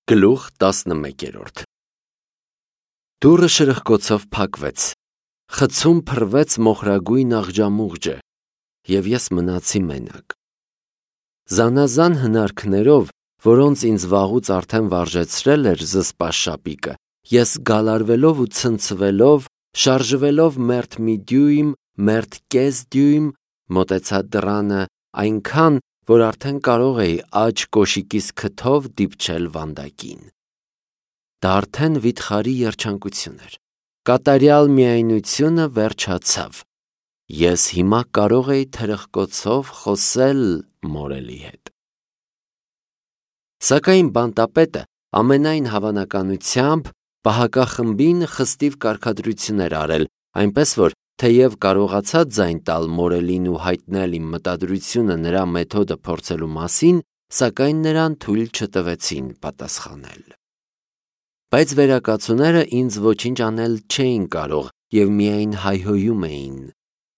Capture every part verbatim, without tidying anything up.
Գլուխ տասնմեկերորդ Դուռը շրխկոցով փակվեց, խցում փռվեց մոխրագույն աղջամուղջը, և ես մնացի մենակ։ Զանազան հնարքներով, որոնց ինձ վաղուց արդեն վարժեցրել էր զսպաշ շապիկը, ես գալարվելով ու ցնցվելով, շարժվելով մերթ մի դյույմ, մերթ կես դյույմ, մոտեցա դռանը այնքան, որ արդեն կարող էի աջ կոշիկիս քթով դիպչել վանդակին։ Դա արդեն վիթխարի երջանկություն էր։ Կատարյալ միայնությունը վերջացավ։ Ես հիմա կարող էի թրխկոցով խոսել մորելի հետ։ Սակայն բանտապետը ամենայն հավանականությամբ պահակախմբին խստիվ կարգադրություն էր արել, այնպես որ թեև կարողացա ձայն տալ մորելին ու հայտնել իմ մտադրությունը նրա մեթոդը փորձելու մասին, սակայն նրան թույլ չտվեցին պատասխանել։ Բայց վերակացուները ինձ ոչինչ անել չէին կարող և միայն հայհոյում էին։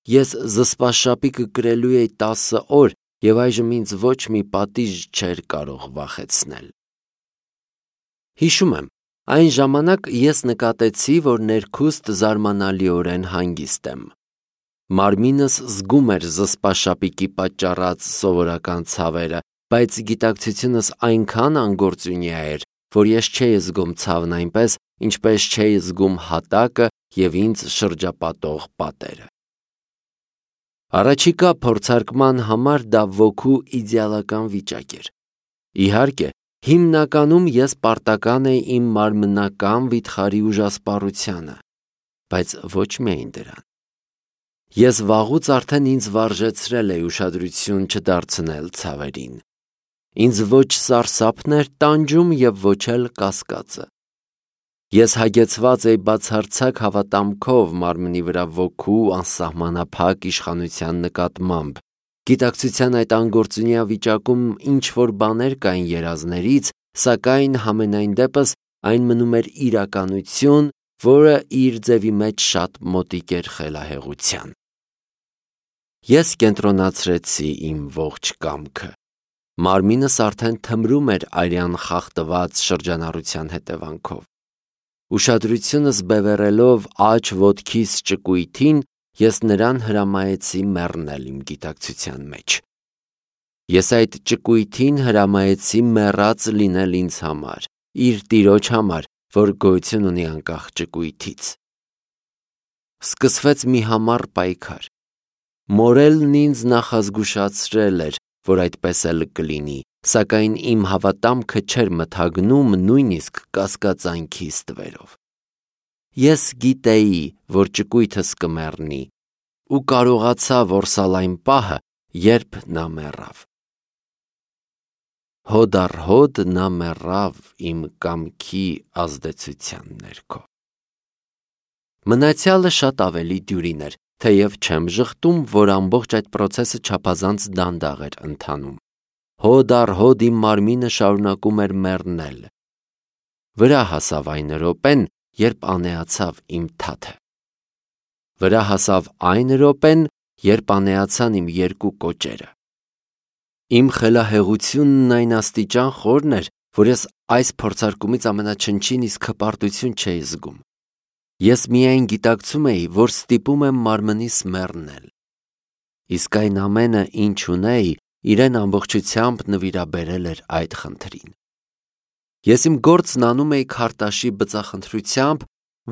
Ես զսպաշ շապիկը կրելու էի տասը օր և այժմ ինձ ոչ մի պատիժ չէր կարող վախեցնել։ Հիշում եմ, այն ժամանակ ես նկատեցի, որ ներքուստ զարմանալիորեն հանգիստ եմ։ Մարմինս զգում էր զսպաշ շապիկի պատճառած սովորական ցավերը, բայց գիտակցությունս այնքան անգործունյա էր, որ ես չէի զգում ցավն այնպես, ինչպես չէի զգում հատակը և ինձ շրջապատող պատերը։ Առաջիկա փորձարկման համար դա ոգու իդեալական վիճակ էր։ Իհարկե, հիմնականում ես պարտական էի իմ մարմնական վիթխարի ուժասպառությանը, բայց ոչ միայն դրան։ Ես վաղուց արդեն ինձ վարժեցրել էի ուշադրություն չդարձնել ցավերին։ Ինձ ոչ սարսափն էր տանջում և ոչ էլ կասկածը։ Ես հագեցված էի բացարձակ հավատամքով մարմնի վրա ոգու անսահմանափակ իշխանության նկատմամբ։ Գիտակցության այդ անգործունյա վիճակում ինչ-որ բաներ կային երազներից, սակայն համենայն դեպս այն մնում էր իրականություն, որը իր ձևի մեջ շատ մոտիկ էր խելահեղության։ Ես կենտրոնացրեցի իմ ողջ կամքը։ Մարմինս արդեն թմրում էր արյան խախտված շրջանառության հետևանքով։ Ուշադրությունս բևեռելով աջ ոտքիս ճկույթին, ես նրան հրամայեցի մեռնել իմ գիտակցության մեջ։ Ես այդ ճկույթին հրամայեցի մեռած լինել ինձ համար, իր տիրոջ համար, որ գոյություն ունի անկախ ճկույթից։ Սկսվեց մի համառ պայքար։ Մորելն ինձ նախազգուշացրել էր, որ այդպես էլ կլինի, սակայն իմ հավատամքը չէր մթագնում նույնիսկ կասկածանքի ստվերով։ Ես գիտեի, որ ճկույթս կմեռնի, ու կարողացա որսալ այն պահը, երբ նա մեռավ։ Հոդ առ հոդ նա մեռավ իմ կամքի ազդեցության ներքո։ Մնացյալը շատ ավելի դյուրին էր, թեև չեմ ժխտում, որ ամբողջ այդ պրոցեսը չափազանց դանդաղ էր ընթանում։ Հոդ առ հոդ իմ մարմինը շարունակում էր մեռնել։ Վրա հասավ այն րոպեն, երբ անեացավ իմ թաթը։ Վրա հասավ այն րոպեն, երբ անեացան իմ երկու կոճերը։ Իմ խելահեղությունն այն աստիճան խորն էր, որ ես այս փորձարկումից ամենաչնչին իսկ հպարտություն չէի զգում։ Ես միայն գիտակցում էի, որ ստիպում եմ մարմնիս մեռնել։ Իսկ այն ամենը, ինչ ունեի, իրեն ամբողջությամբ նվիրաբերել էր այդ խնդրին։ Ես իմ գործն անում էի քարտաշի բծախնդրությամբ,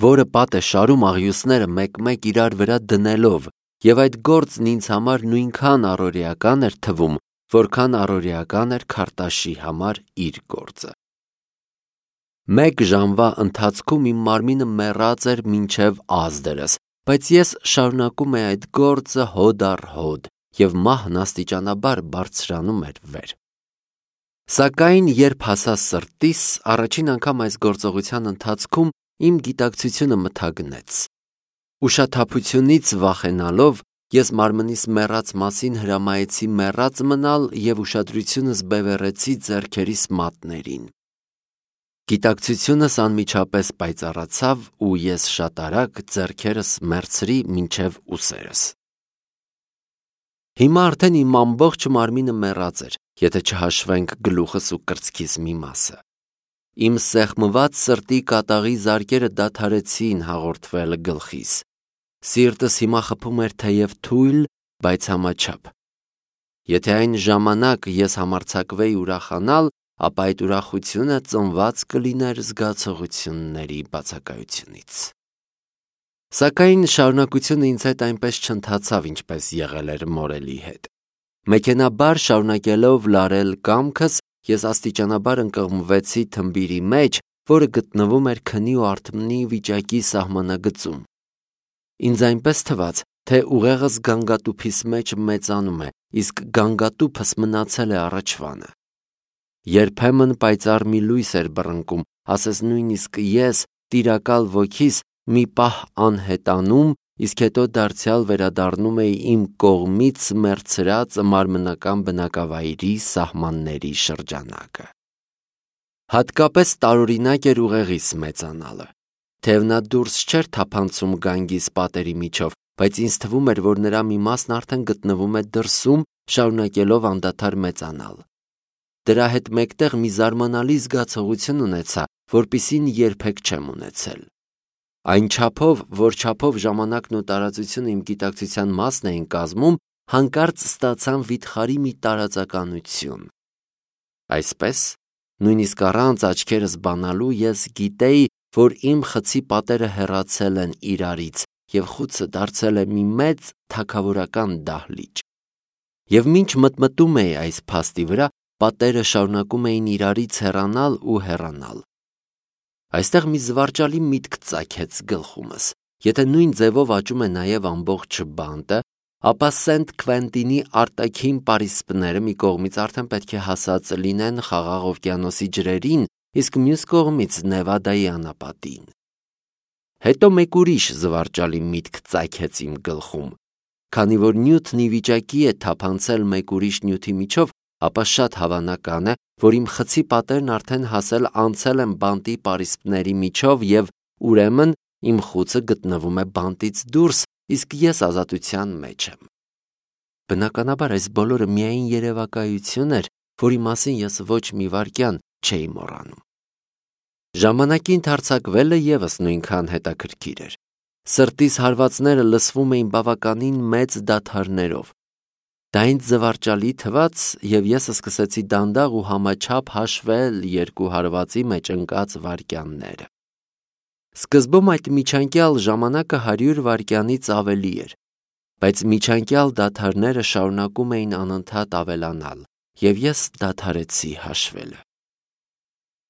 որը պատ է շարում աղյուսները մեկ-մեկ իրար վրա դնելով, և այդ գործն ինձ համար նույնքան առօրեական էր թվում, որքան առօրեական էր քարտաշի համար իր գործը։ Մեկ ժամվա ընթացքում իմ մարմինը մեռած էր մինչև ազդրս, բայց ես շարունակում էի այդ գործը հոդ առ հոդ, և մահն աստիճանաբար բարձրանում էր վեր։ Սակայն երբ հասա սրտիս, առաջին անգամ այս գործողության ընթացքում իմ գիտակցությունը մթագնեց։ Ուշաթափությունից վախենալով, ես մարմնիս մեռած մասին հրամայեցի մեռած մնալ և ուշադրությունս բևեռեցի ձեռքերիս մատներին։ Գիտակցությունս անմիջապես պայծառացավ ու ես շատ արագ ձեռքերս մեռցրի մինչև ուսերս։ Հիմա արդեն իմ ամբողջ մարմինը մեռած էր, եթե չհաշվենք գլուխս ու կրծքիս մի մասը։ Իմ սեղմված սրտի կատաղի զարկերը դադարեցին հաղորդվել գլխիս։ Սիրտս հիմա խփում էր թեև թույլ, բայց համաչափ։ Եթե այն ժամանակ ես համարձակվեի ուրախանալ, ապա այդ ուրախությունը ծնված կլիներ զգացողությունների բացակայությունից։ Սակայն շարունակությունը ինձ հետ այնպես չընթացավ, ինչպես եղել էր մորելի հետ։ Մեքենաբար շարունակելով լարել կամքս, ես աստիճանաբար ընկղմվեցի թմբիրի մեջ, որը գտնվում էր քնի ու արթմնի վիճակի սահմանագծում։ Ինձ այնպես թվաց, թե ուղեղս գանգատուփիս մեջ մեծանում է, իսկ գանգատուփս մնացել է առաջվանը։ Երբեմն պայծառ մի լույս էր բռնկում, ասես նույնիսկ ես, տիրակալ ոգիս, մի պահ անհետանում, իսկ հետո դարձյալ վերադառնում էի իմ կողմից մեռցրած մարմնական բնակավայրի սահմանների շրջանակը։ Հատկապես տարօրինակ էր ուղեղիս մեծանալը։ Թեև նա դուրս չէր թափանցում գանգիս պատերի միջով, բայց ինձ թվում էր, որ նրա մի մասն արդեն գտնվում է դրսում, շարունակելով անդադար մեծանալ։ Դրա հետ մեկտեղ մի զարմանալի զգացողություն ունեցա, որպիսին երբեք չեմ ունեցել։ Այն չափով, որ չափով ժամանակն ու տարածությունը իմ գիտակցության մասն էին կազմում, հանկարծ ստացան վիթխարի մի տարածականություն։ Այսպես, նույնիսկ առանց աչքերս բանալու ես գիտեի, որ իմ խցի պատերը հեռացել են իրարից և խուցը դարձել է մի մեծ թագավորական դահլիճ։ Եվ մինչ մտմտում էի այս փաստի վրա, պատերը շարունակում էին իրարից հեռանալ ու հեռանալ։ Այստեղ մի զվարճալի միտք ծագեց գլխումս. եթե նույն ձևով աճում է նաև ամբողջ բանտը, ապա Սենտ Քվենտինի արտաքին պարիսպները մի կողմից արդեն պետք է հասած լինեն Խաղաղ օվկիանոսի ջրերին, իսկ մյուս կողմից Նևադայի անապատին։ Հետո մեկ ուրիշ զվարճալի միտք ծագեց իմ գլխում. քանի որ նյութն ի վիճակի է թափանցել մեկ ուրիշ նյութի միջով, ապա շատ հավանական է, որ իմ խցի պատերն արդեն հասել անցել են բանտի պարիսպների միջով և ուրեմն իմ խուցը գտնվում է բանտից դուրս, իսկ ես ազատության մեջ եմ։ Բնականաբար այս բոլորը միայն երևակայություն էր, որի մասին ես ոչ մի վայրկյան չէի մոռանում։ Ժամանակի ընդարձակվելը ևս նույնքան հետաքրքիր էր։ Սրտիս հարվածները լսվում էին բավականին մեծ դադարներով։ Դա ինձ զվարճալի թվաց, և ես սկսեցի դանդաղ ու համաչափ հաշվել երկու հարվածի մեջ ընկած վայրկյանները։ Սկզբում այդ միջանկյալ ժամանակը հարյուր վայրկյանից ավելի էր, բայց միջանկյալ դադարները շարունակում էին անընդհատ ավելանալ, և ես դադարեցի հաշվելը։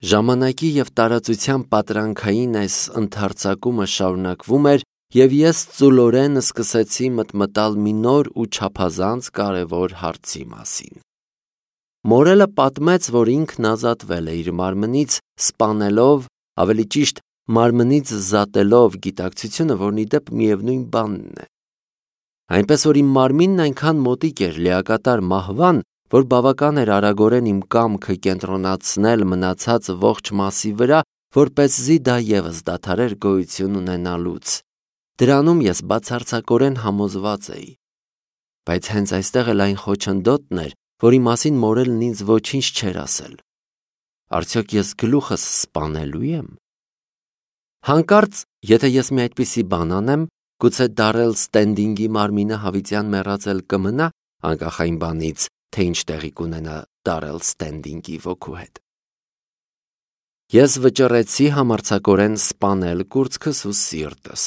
Ժամանակի և տարածության պատրանքային այս ընդարձակումը շարունակվում էր, և ես ծուլորեն սկսեցի մտմտալ մի նոր ու չափազանց կարևոր հարցի մասին։ Մորելը պատմեց, որ ինքն ազատվել է իր մարմնից, սպանելով, ավելի ճիշտ, մարմնից զատելով գիտակցությունը, որն ի դեպ միևնույն բանն է։ Այնպես որ իմ մարմինն այնքան մոտիկ էր լիակատար մահվան, որ բավական էր արագորեն իմ կամքը կենտրոնացնել մնացած ողջ մասի վրա, որպեսզի դա ևս դադարեր գոյություն ունենալուց։ Դրանում ես բացարձակորեն համոզված էի։ Բայց հենց այստեղ էլ այն խոչընդոտն էր, որի մասին մորելն ինձ ոչինչ չէր ասել։ Արդյոք ես գլուխս սպանելու եմ։ Հանկարծ, եթե ես մի այդպիսի բան անեմ, գուցե Դարել Ստենդինգի մարմինը հավիտյան մեռածել կմնա, անկախ այն բանից, թե ինչ տեղի կունենա Դարել Ստենդինգի ոգու հետ։ Ես վճռեցի համարձակորեն սպանել կուրծքս ու սիրտս։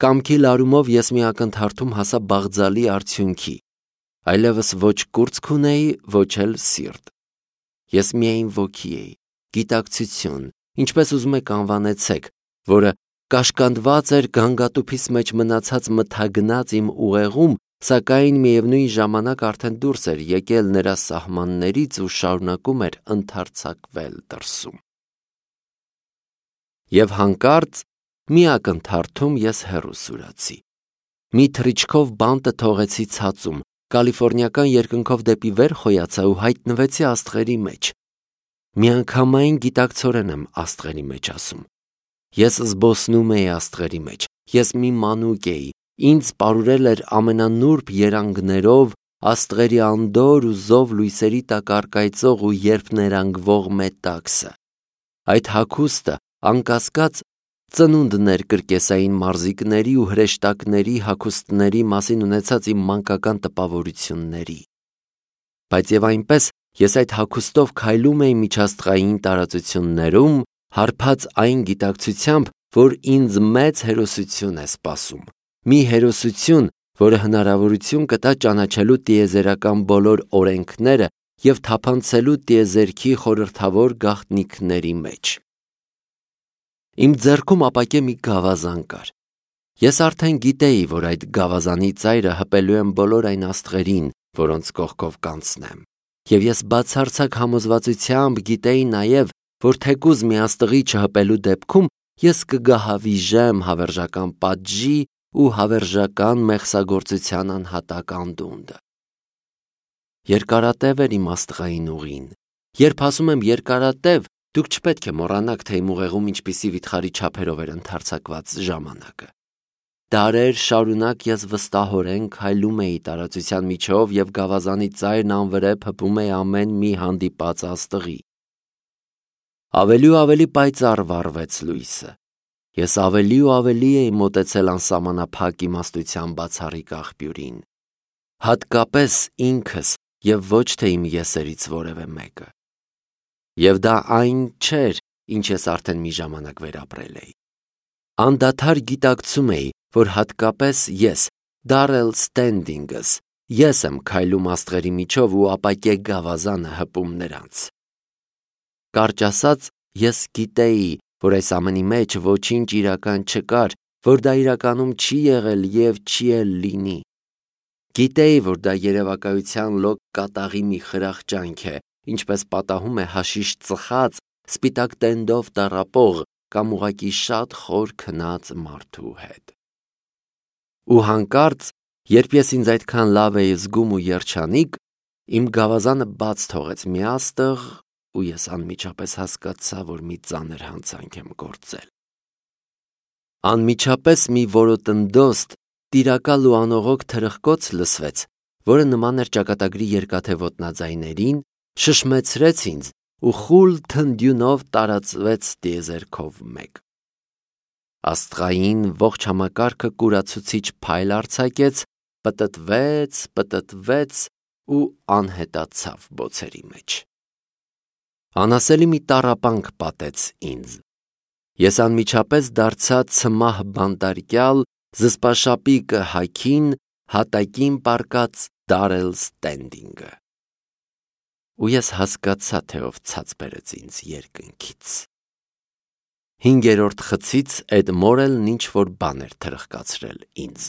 Կամքի լարումով ես մի ակնթարթում հասա բաղձալի արդյունքի։ Այլևս ոչ կուրծք ունեի, ոչ էլ սիրտ։ Ես միայն ոգի էի, գիտակցություն, ինչպես ուզում եք անվանեցեք, որը կաշկանդված էր գանգատուփիս մեջ մնացած մթագնած իմ ուղեղում, սակայն միևնույն ժամանակ արդեն դուրս էր եկել նրա սահմաններից ու շարունակում էր ընդարձակվել դրսում։ Եվ հանկարծ մի ակնթարթում ես հեռու սուրացի։ Մի թռիչքով բանտը թողեցի ցածում, կալիֆոռնիական երկնքով դեպի վեր խոյացա ու հայտնվեցի աստղերի մեջ։ Միանգամայն գիտակցորեն եմ աստղերի մեջ ասում։ Ես զբոսնում էի աստղերի մեջ, ես մի մանուկ էի, ինձ պարուրել էր ամենանուրբ երանգներով, աստղերի անդոր ու զով լույսերի տակ առկայծող ու երբ ներանգվող մետաքսը։ Այդ հագուստը անկասկած ծնունդներ կրկեսային մարզիկների ու հրեշտակների հագուստների մասին ունեցած իմ մանկական տպավորությունների։ Բայց եւ այնպես ես այդ հագուստով քայլում էի միջաստղային տարածություններում, հարբած այն գիտակցությամբ, որ ինձ մեծ հերոսություն է սպասում, մի հերոսություն, որը հնարավորություն կտա ճանաչելու տիեզերական բոլոր օրենքները եւ թափանցելու տիեզերքի խորհրդավոր գաղտնիքների մեջ։ Իմ ձեռքում ապակե մի գավազան կար։ Ես արդեն գիտեի, որ այդ գավազանի ծայրը հպելու եմ բոլոր այն աստղերին, որոնց կողքով կանցնեմ, եւ ես բացարձակ համոզվածությամբ գիտեի նաեւ, որ թեկուզ մի աստղի չհպելու դեպքում ես կգահավիժեմ հավերժական պատժի ու հավերժական մեղսագործության անհատակ անդունդը։ Երկարատև էր իմ աստղային ուղին։ Երբ ասում եմ երկարատև, դուք չպետք է մոռանաք, թե իմ ուղեղում ինչպիսի վիթխարի չափերով էր ընդարձակված ժամանակը։ Դարեր շարունակ ես վստահորեն քայլում էի տարածության միջով եւ գավազանի ծայրն անվրեպ հպում էի ամեն մի հանդիպած աստղի։ Ավելի ու ավելի պայծառ վառվեց լույսը։ Ես ավելի ու ավելի էի մոտեցել անսահմանափակ իմաստության բացառիկ աղբյուրին, հատկապես ինքս եւ ոչ թե իմ եսերից որևէ մեկը։ Եվ դա այն չէր, ինչ ես արդեն մի ժամանակ վերապրել էի։ Անդադար գիտակցում էի, որ հատկապես ես, Դարել Ստենդինգս, ես եմ քայլում աստղերի միջով ու ապակե գավազանը հպում նրանց։ Կարճ ասած, ես գիտեի, որ այս ամենի մեջ ոչինչ իրական չկար, որ դա իրականում չի եղել եւ չի էլ լինի։ Գիտեի, որ դա երևակայության լոկ կատաղի մի խրախճանք է, ինչպես պատահում է հաշիշ ծխած, սպիտակ տենդով տառապող կամ ուղղակի շատ խոր քնած մարդու հետ։ Ու հանկարծ, երբ ես ինձ այդքան լավ էի զգում ու երջանիկ, իմ գավազանը բաց թողեց մի աստղ, ու ես անմիջապես հասկացա, որ մի ծանր հանցանք եմ գործել։ Անմիջապես մի որոտննդոստ, տիրակալ ու անողոք թրխկոց լսվեց, որը նման էր ճակատագրի երկաթե ոտնաձայներին, շշմեցրեց ինձ ու խուլ թնդյունով տարածվեց տիեզերքով մեկ։ Աստղային ողջ համակարգը կուրացուցիչ փայլ արձակեց, պտտվեց, պտտվեց ու անհետացավ բոցերի մեջ։ Անասելի մի տառապանք պատեց ինձ։ Ես անմիջապես դարձա ցմահ բանտարկյալ, զսպաշապիկը հագին, հատակին պառկած Դարել Ստենդինգը։ Ու ես հասկացա, թե ով ցած բերեց ինձ երկնքից։ Հինգերորդ խցից Էդ Մորելն ինչ որ բան էր թրխկացրել ինձ։